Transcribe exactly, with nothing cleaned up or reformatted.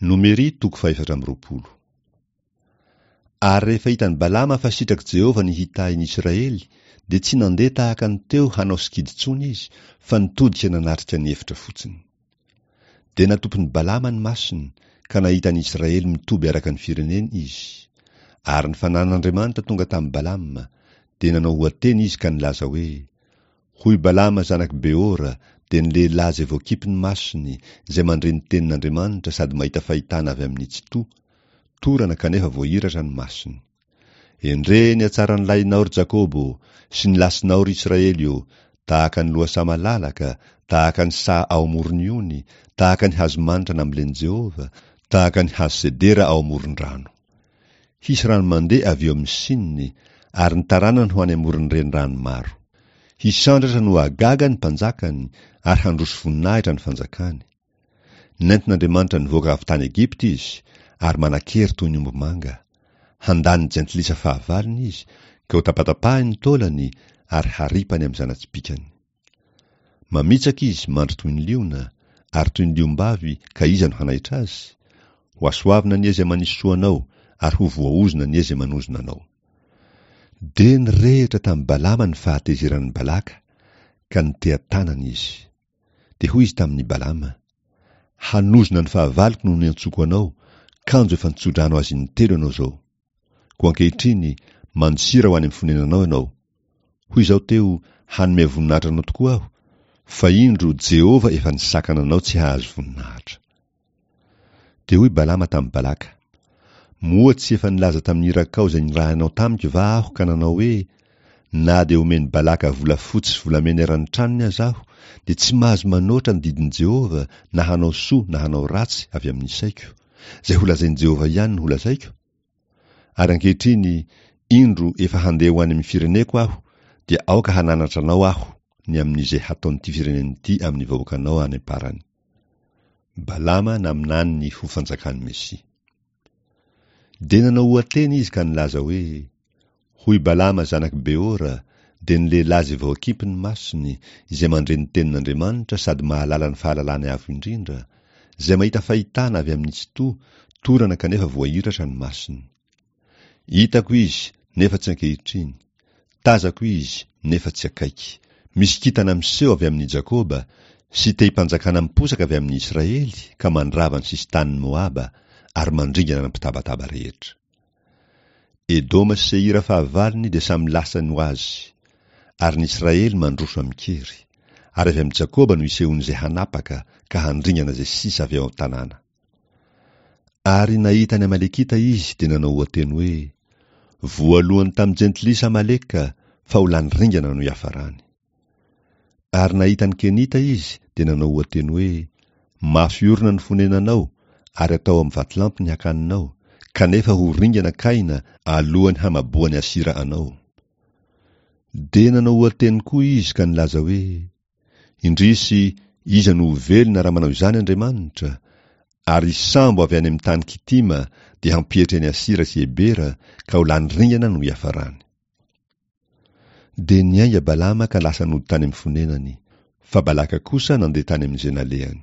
Nomery toko fahefatra amby roapolo. Ary rehefa hitan'i Balama fa sitrak'i Jehovah ny hitahy ny Israely, dia tsy nandeha tahaka ny teo hanao sikidy intsony izy, fa nitodika nanatrika ny efitra fotsiny. Dia natopin'i Balama ny masony, ka nahita ny Israely mitoby araka ny fireneny izy. Ary ny fanan'Andriamanitra tonga tamin'i Balama, dia nanao ohateny izy ka nilaza hoe: Hoy Balama zanak'i Beora, dia ny lehilahy izay voakipy ny masony, izay mandre ny tenin'Andriamanitra sady mahita fahitana avy amin'ny Tsitoha, torana kanefa voahiratra ny masony. Endrey ny hatsaran'ny lahinao ry Jakoba ô, sy ny lasinao ry Israely ô, tahaka ny lohasaha malalaka, tahaka ny saha ao amoron'ny ony, tahaka ny hazo manitra nambolen'i Jehovah, tahaka ny hazo sedera ao amoron-drano. Hisy rano mandeha avy eo amin'ny sininy, ary ny taranany ho any amoron'ny renirano maro. Hisandratra no hahagaga ny mpanjakany, ary handroso voninahitra ny fanjakany. Nentin'Andriamanitra nivoaka avy tany Egypta izy, ary manan-kery toy ny ombimanga. Handany ny jentilisa fahavalony izy, ka hotapatapahiny ny taolany, ary haripany amin'ny zana-tsipìkany. Mamitsaka izy, mandry toy ny liona, ary toy ny liom-bavy, ka iza no hanaitra azy? Hohasoavina anie izay manisy soa anao, ary ho voaozona anie izay manozona anao. Dia nirehitra tamin'i Balama ny fahatezeran'i Balaka, ka niteha-tanana izy. Dia hoy izy tamin'i Balama: Hanozona ny fahavaloko no niantsoako anao, kanjo efa nitso-drano azy intelo ianao izao. Koa ankehitriny, mandosira ho any amin'ny fonenanao ianao. Hoy izaho teo, Hanome voninahitra anao tokoa aho, fa indro, Jehovah efa nisakana anao tsy hahazo voninahitra. Dia hoy Balama tamin'i Balaka: Moa tsy efa nilaza tamin'ny irakao izay nirahinao tamiko va aho ka nanao hoe, Na dia omen'i Balaka volafotsy sy volamena eran'ny tranony aza aho, dia tsy mahazo manoatra ny didin'i Jehovah na hanao soa na hanao ratsy avy amin'ny saiko. Izay holazain'i Jehovah ihany no holazaiko? Ary ankehitriny, indro, efa handeha ho any amin'ny fireneko aho, dia aoka hananatra anao aho ny amin'izay hataon'ity firenena ity amin'ny vahoakanao any am-parany. Balama naminany ny ho fanjakan'ny Mesia. Dia nanao ohateny izy ka nilaza hoe: Hoy Balama zanak'i Beora, dia ny lehilahy izay voakimpy ny masony, izay mandre ny tenin'Andriamanitra sady mahalala ny fahalalany avo indrindra, izay mahita fahitana avy amin'ny Tsitoha, torana kanefa voahiratra ny masony. Hitako izy, nefa tsy ankehitriny. Tazako izy, nefa tsy akaiky. Misy kintana miseho avy amin'i Jakoba, sy tehim-panjakana miposaka avy amin'i Israely, ka mandrava ny sisin-tanin'i Moaba, ary mandringana ny mpitabataba rehetra. Edoma sy Seira fahavalony dia samy lasany ho azy, ary ny Israely mandroso amin-kery. Ary avy amin'i Jakoba no isehoan'izay hanapaka, ka handringana izay sisa avy ao an-tanàna. Ary nahita ny Amalekita izy, dia nanao ohateny hoe: Voalohany tamin'ny jentilisa Amaleka, fa ho lany ringana no hiafarany. Ary nahita ny Kenita izy, dia nanao ohateny hoe: Mafy orina ny fonenanao, ary atao amin'ny vatolampy ny hakaninao, kanefa ho ringana Kaina alohan'ny hamaboan'i Asira anao. Dia nanao ohateny koa izy ka nilaza hoe: Indrisy, iza no ho velona raha manao izany Andriamanitra? Ary sambo avy any amin'ny tany Kitima dia hampietry an'i Asira sy Ebera, ka ho lany ringana no hiafarany. Dia niainga Balama ka lasa nody tany amin'ny fonenany, fa Balaka kosa nandeha tany amin'izay nalehany.